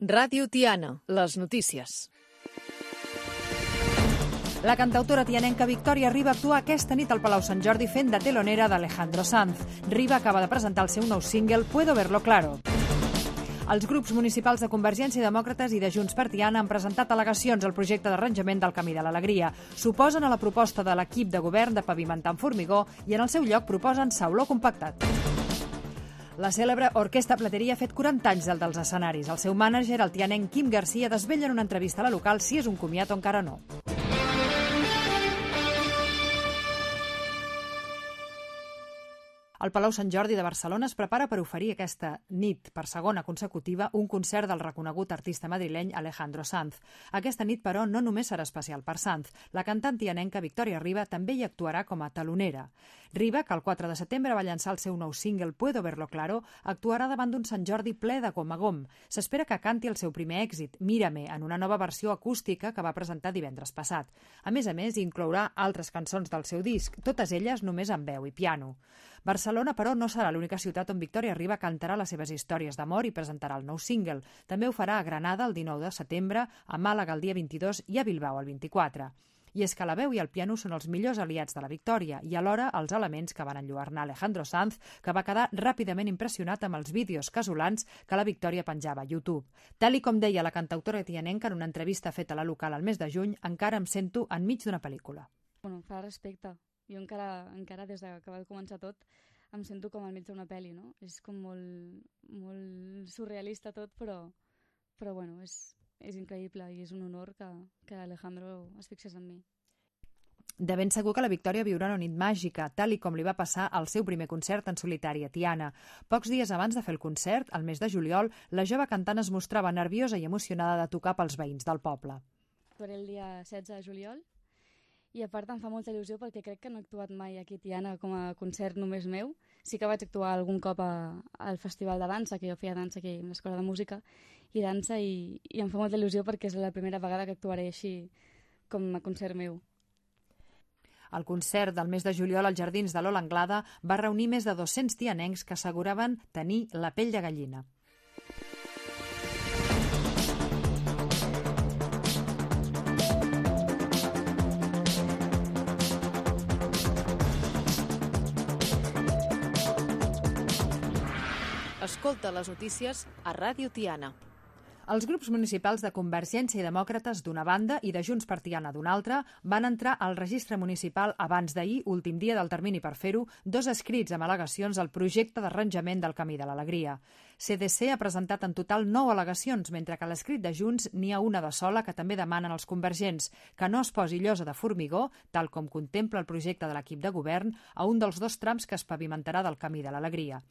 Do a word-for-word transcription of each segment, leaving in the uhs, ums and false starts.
Ràdio Tiana, les notícies. La cantautora tianenca Victòria Riba actua aquesta nit al Palau Sant Jordi fent de telonera d'Alejandro Sanz. Riba acaba de presentar el seu nou single Puedo verlo claro. Els grups municipals de Convergència i Demòcrates i de Junts per Tiana han presentat al·legacions al projecte d'arranjament del Camí de l'Alegria. S'oposen a la proposta de l'equip de govern de pavimentar amb formigó i en el seu lloc proposen sauló compactat. La cèlebre Orquestra Plateria ha fet quaranta anys del dels escenaris. El seu mànager, el tianenc Quim Garcia, desvetlla en una entrevista a la local si és un comiat o encara no. El Palau Sant Jordi de Barcelona es prepara per oferir aquesta nit, per segona consecutiva, un concert del reconegut artista madrileny Alejandro Sanz. Aquesta nit, però, no només serà especial per Sanz. La cantant tianenca Victòria Riba també hi actuarà com a telonera. Riba, que el quatre de setembre va llançar el seu nou single Puedo verlo claro, actuarà davant d'un Sant Jordi ple de gom a gom. S'espera que canti el seu primer èxit, Mírame, en una nova versió acústica que va presentar divendres passat. A més a més, inclourà altres cançons del seu disc, totes elles només amb veu i piano. Barcelona, però, no serà l'única ciutat on Victòria Riba cantarà les seves històries d'amor i presentarà el nou single. També ho farà a Granada el dinou de setembre, a Màlaga el dia vint-i-dos i a Bilbao el vint-i-quatre. I és que la veu i el piano són els millors aliats de la Victòria i alhora els elements que van enlluernar Alejandro Sanz, que va quedar ràpidament impressionat amb els vídeos casolans que la Victòria penjava a YouTube. Tal i com deia la cantautora tianenca en una entrevista feta a la local al mes de juny, encara em sento enmig d'una pel·lícula. Bueno, fa respecte. Jo encara, encara des que va començar tot, em sento com al mig d'una pel·li, no? És com molt, molt surrealista tot, però, però bueno, és, és increïble i és un honor que, que Alejandro es fixés en mi. De ben segur que la Victòria viurà una nit màgica, tal i com li va passar al seu primer concert en solitari a Tiana. Pocs dies abans de fer el concert, al mes de juliol, la jove cantant es mostrava nerviosa i emocionada de tocar pels veïns del poble. Faré el dia setze de juliol i a part em fa molta il·lusió perquè crec que no he actuat mai aquí a Tiana com a concert només meu. Sí que vaig actuar algun cop a, al festival de dansa, que jo feia dansa aquí a l'escola de música i dansa, i, i em fa molta il·lusió perquè és la primera vegada que actuaré així com a concert meu. El concert del mes de juliol als Jardins de l'Ola Anglada va reunir més de dos-cents tianencs que asseguraven tenir la pell de gallina. Escolta les notícies a Ràdio Tiana. Els grups municipals de Convergència i Demòcrates d'una banda i de Junts per Tiana d'una altra van entrar al registre municipal abans d'ahir, últim dia del termini per fer-ho, dos escrits amb al·legacions al projecte d'arranjament del Camí de l'Alegria. C D C ha presentat en total nou al·legacions, mentre que a l'escrit de Junts n'hi ha una de sola que també demanen els convergents, que no es posi llosa de formigó, tal com contempla el projecte de l'equip de govern, a un dels dos trams que es pavimentarà del Camí de l'Alegria.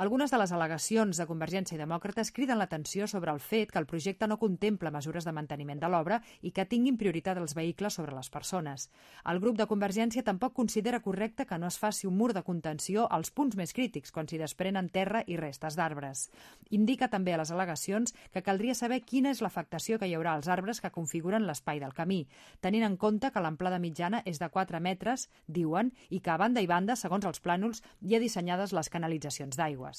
Algunes de les al·legacions de Convergència i Demòcrates criden l'atenció sobre el fet que el projecte no contempla mesures de manteniment de l'obra i que tinguin prioritat els vehicles sobre les persones. El grup de Convergència tampoc considera correcte que no es faci un mur de contenció als punts més crítics, quan s'hi desprenen terra i restes d'arbres. Indica també a les al·legacions que caldria saber quina és l'afectació que hi haurà als arbres que configuren l'espai del camí, tenint en compte que l'amplada mitjana és de quatre metres, diuen, i que a banda i banda, segons els plànols, hi ha dissenyades les canalitzacions d'aigua.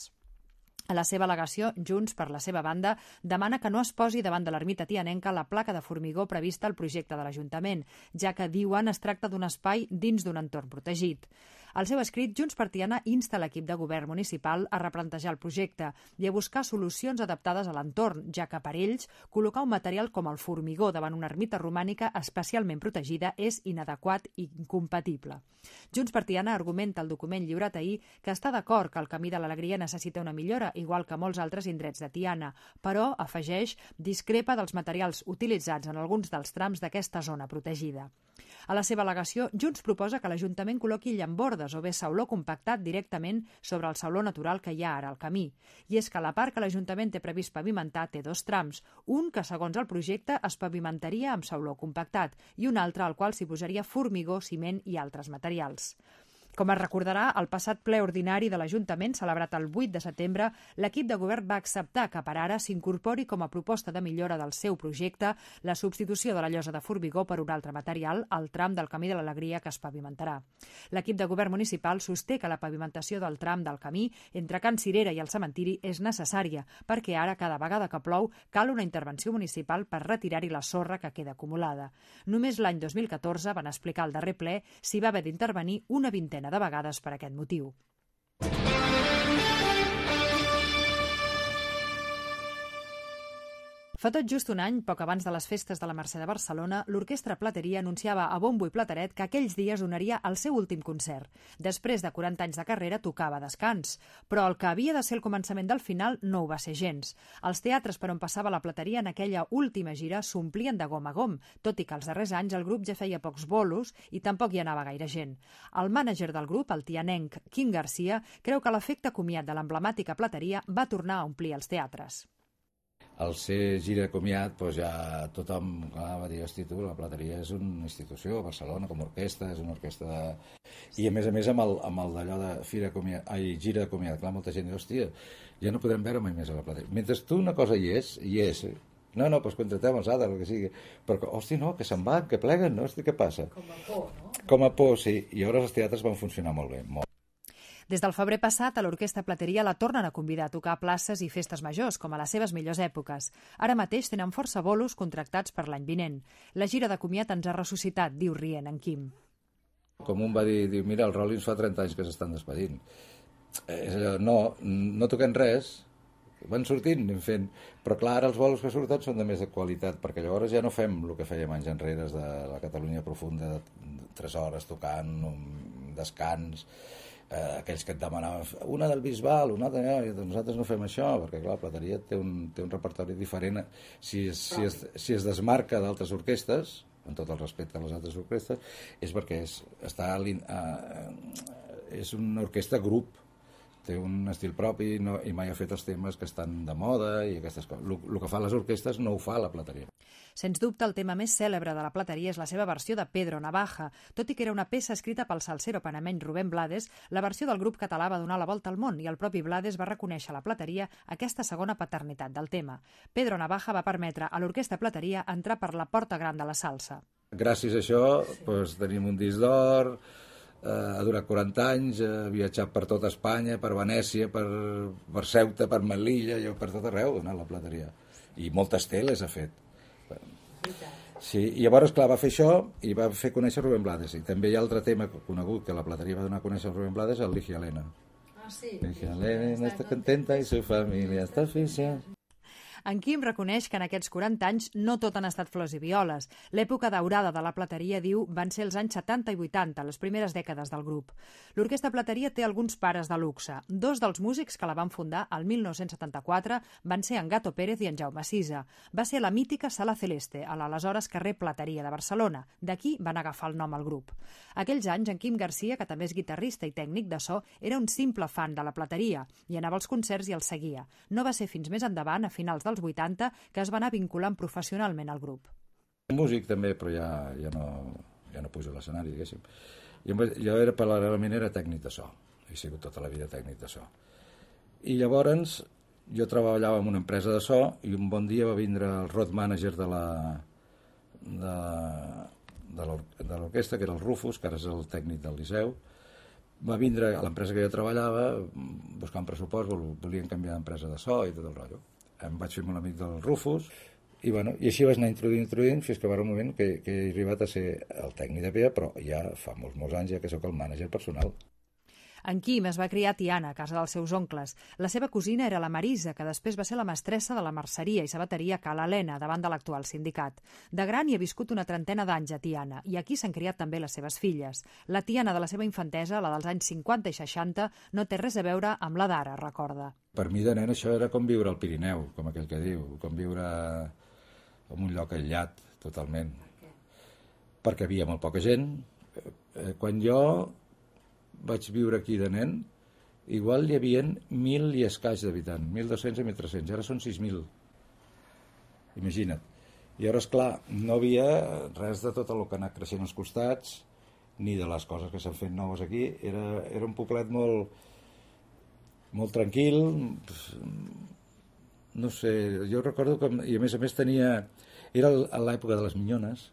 A la seva al·legació, Junts, per la seva banda, demana que no es posi davant de l'ermita tianenca la placa de formigó prevista al projecte de l'Ajuntament, ja que, diuen, es tracta d'un espai dins d'un entorn protegit. Al seu escrit, Junts per Tiana insta l'equip de govern municipal a replantejar el projecte i a buscar solucions adaptades a l'entorn, ja que per ells col·locar un material com el formigó davant una ermita romànica especialment protegida és inadequat i incompatible. Junts per Tiana argumenta al document lliurat ahir que està d'acord que el Camí de l'Alegria necessita una millora, igual que molts altres indrets de Tiana, però, afegeix, discrepa dels materials utilitzats en alguns dels trams d'aquesta zona protegida. A la seva al·legació, Junts proposa que l'Ajuntament col·loqui llambordes o bé sauló compactat directament sobre el sauló natural que hi ha ara al camí. I és que la part que l'Ajuntament té previst pavimentar té dos trams, un que, segons el projecte, es pavimentaria amb sauló compactat i un altre al qual s'hi posaria formigó, ciment i altres materials. Com es recordarà, al passat ple ordinari de l'Ajuntament, celebrat el vuit de setembre, l'equip de govern va acceptar que per ara s'incorpori com a proposta de millora del seu projecte la substitució de la llosa de formigó per un altre material al tram del Camí de l'Alegria que es pavimentarà. L'equip de govern municipal sosté que la pavimentació del tram del camí entre Can Cirera i el cementiri és necessària perquè ara, cada vegada que plou, cal una intervenció municipal per retirar-hi la sorra que queda acumulada. Només l'any dos mil catorze, van explicar al darrer ple, s'hi va haver d'intervenir una vintena de vegades per aquest motiu. Fa tot just un any, poc abans de les festes de la Mercè de Barcelona, l'Orquestra Plateria anunciava a bombo i plateret que aquells dies donaria el seu últim concert. Després de quaranta anys de carrera, tocava descans. Però el que havia de ser el començament del final no ho va ser gens. Els teatres per on passava la Plateria en aquella última gira s'omplien de gom a gom, tot i que els darrers anys el grup ja feia pocs bolos i tampoc hi anava gaire gent. El mànager del grup, el tianenc Quim Garcia, creu que l'efecte comiat de l'emblemàtica Plateria va tornar a omplir els teatres. Al ser gira de comiat, doncs ja tothom clar, va dir, hosti, tu, la Plateria és una institució, a Barcelona, com a orquestra, és una orquestra de... I a més a més amb el, amb el d'allò de fira de comiat, ai, gira de comiat, clar, molta gent diu, hòstia, ja no podrem veure mai més a la Plateria. Mentre tu una cosa hi és, hi és, eh? no, no, doncs contratem els altres, el que sigui, però, hosti, no, que se'n van, que pleguen, no, hosti, què passa? Com a por, no? Com a por, sí, i llavors els teatres van funcionar molt bé, molt. Des del febrer passat, a l'Orquestra Plateria la tornen a convidar a tocar a places i festes majors, com a les seves millors èpoques. Ara mateix tenen força bolos contractats per l'any vinent. La gira de comiat ens ha ressuscitat, diu rient en Quim. Com un va dir, diu, mira, els Rollins fa trenta anys que s'estan despedint. És allò, no, no toquem res, van sortint, anem fent, però clar, ara els bolos que surten són de més de qualitat, perquè llavors ja no fem el que fèiem anys enrere de la Catalunya profunda, de tres hores tocant, un descans, eh, aquells que et demanaven una del Bisbal, una altra, eh, nosaltres no fem això, perquè clar, la Plateria té un, té un repertori diferent, si es, si es, si es desmarca d'altres orquestes, amb tot el respecte a les altres orquestres, és perquè és, està, eh, és una orquestra grup, té un estil propi no, i mai ha fet els temes que estan de moda i aquestes coses. El que fan les orquestres no ho fa la Plateria. Sens dubte, el tema més cèlebre de la Plateria és la seva versió de Pedro Navaja. Tot i que era una peça escrita pel salsero panameny Rubén Blades, la versió del grup català va donar la volta al món i el propi Blades va reconèixer a la Plateria aquesta segona paternitat del tema. Pedro Navaja va permetre a l'Orquestra Plateria entrar per la porta gran de la salsa. Gràcies a això doncs, tenim un disc d'or, eh, ha durat quaranta anys, ha viatjat per tota Espanya, per Venècia, per, per Ceuta, per Melilla, per tot arreu, no, la Plateria. I moltes teles ha fet. Sí, i llavors, clar, va fer això i va fer conèixer Rubén Blades. I també hi ha altre tema conegut que la Plateria va donar a conèixer a Rubén Blades, el Ligia Elena. Ah, sí? Ligia Elena està contenta i su família està feliç. En Quim reconeix que en aquests quaranta anys no tot han estat flors i violes. L'època daurada de la Plateria, diu, van ser els anys setanta i vuitanta, les primeres dècades del grup. L'Orquestra Plateria té alguns pares de luxe. Dos dels músics que la van fundar el mil nou-cents setanta-quatre van ser en Gato Pérez i en Jaume Sisa. Va ser la mítica Sala Celeste, a l'aleshores carrer Plateria de Barcelona. D'aquí van agafar el nom al grup. Aquells anys, en Quim Garcia, que també és guitarrista i tècnic de so, era un simple fan de la Plateria i anava als concerts i els seguia. No va ser fins més endavant, a finals dels vuitanta, que es va anar vinculant professionalment al grup. Músic també, però ja, ja, no, ja no pujo a l'escenari, diguéssim. Jo, jo era, paral·lelament, era tècnic de so. He sigut tota la vida tècnic de so. I llavors jo treballava en una empresa de so i un bon dia va vindre el road manager de la de, de l'orquestra, que era el Rufus, que ara és el tècnic del Liceu. Va vindre a l'empresa que jo treballava buscant pressupost, volien canviar d'empresa de so i tot el rotllo. Em vaig fer molt amic del Rufus i, bueno, i així vaig anar introduint, introduint fins que va haver un moment que, que he arribat a ser el tècnic de P A, però ja fa molts, molts anys ja que sóc el mànager personal. En Quim es va criar a Tiana, a casa dels seus oncles. La seva cosina era la Marisa, que després va ser la mestressa de la merceria i sabateria Ca l'Helena, davant de l'actual sindicat. De gran hi ha viscut una trentena d'anys a Tiana, i aquí s'han criat també les seves filles. La Tiana de la seva infantesa, la dels anys cinquanta i seixanta, no té res a veure amb la d'ara, recorda. Per mi de nen això era com viure al Pirineu, com aquell que diu, com viure en un lloc aïllat, totalment. Perquè havia molt poca gent. Quan jo vaig viure aquí de nen, igual hi havia mil i escaig d'habitants, mil dos-cents i mil tres-cents, ara són sis mil. Imagina't. I llavors, clar, no havia res de tot el que ha anat creixent als costats, ni de les coses que s'han fet noves aquí. Era, era un poblet molt, molt tranquil, no sé, jo recordo que, i a més a més tenia, era a l'època de les minyones,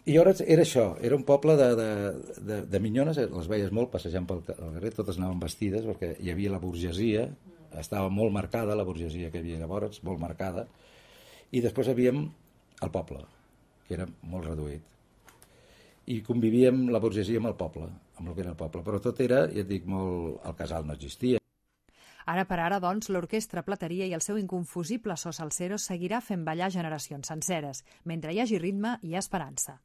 i llavors era això, era un poble de, de, de, de minyones, les veies molt passejant pel carrer, totes anaven vestides, perquè hi havia la burgesia, estava molt marcada, la burgesia que hi havia llavors, molt marcada, i després havíem el poble, que era molt reduït. I convivíem la burgesia amb el poble, amb el que era el poble, però tot era, ja et dic, molt... el casal no existia. Ara per ara, doncs, l'Orquestra Plateria i el seu inconfusible so salsero seguirà fent ballar generacions senceres. Mentre hi hagi ritme, hi ha esperança.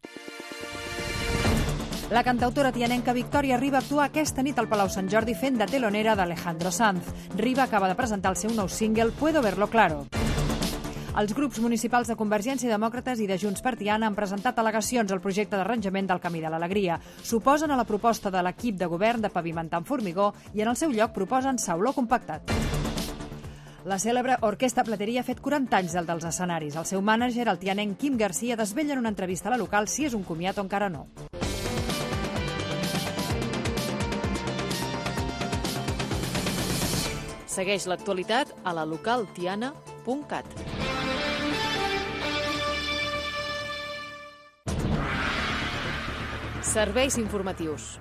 La cantautora tianenca Victòria Riba actua aquesta nit al Palau Sant Jordi fent de telonera d'Alejandro Sanz. Riba acaba de presentar el seu nou single Puedo verlo claro. Els grups municipals de Convergència i Demòcrates i de Junts per Tiana han presentat al·legacions al projecte d'arranjament del Camí de l'Alegria. S'oposen a la proposta de l'equip de govern de pavimentar amb formigó i en el seu lloc proposen sauló compactat. La cèlebre Orquestra Plateria ha fet quaranta anys del dels escenaris. El seu mànager, el tianenc Quim Garcia, desvetlla en una entrevista a la local si és un comiat o encara no. Segueix l'actualitat a la local tiana punt cat. Serveis informatius.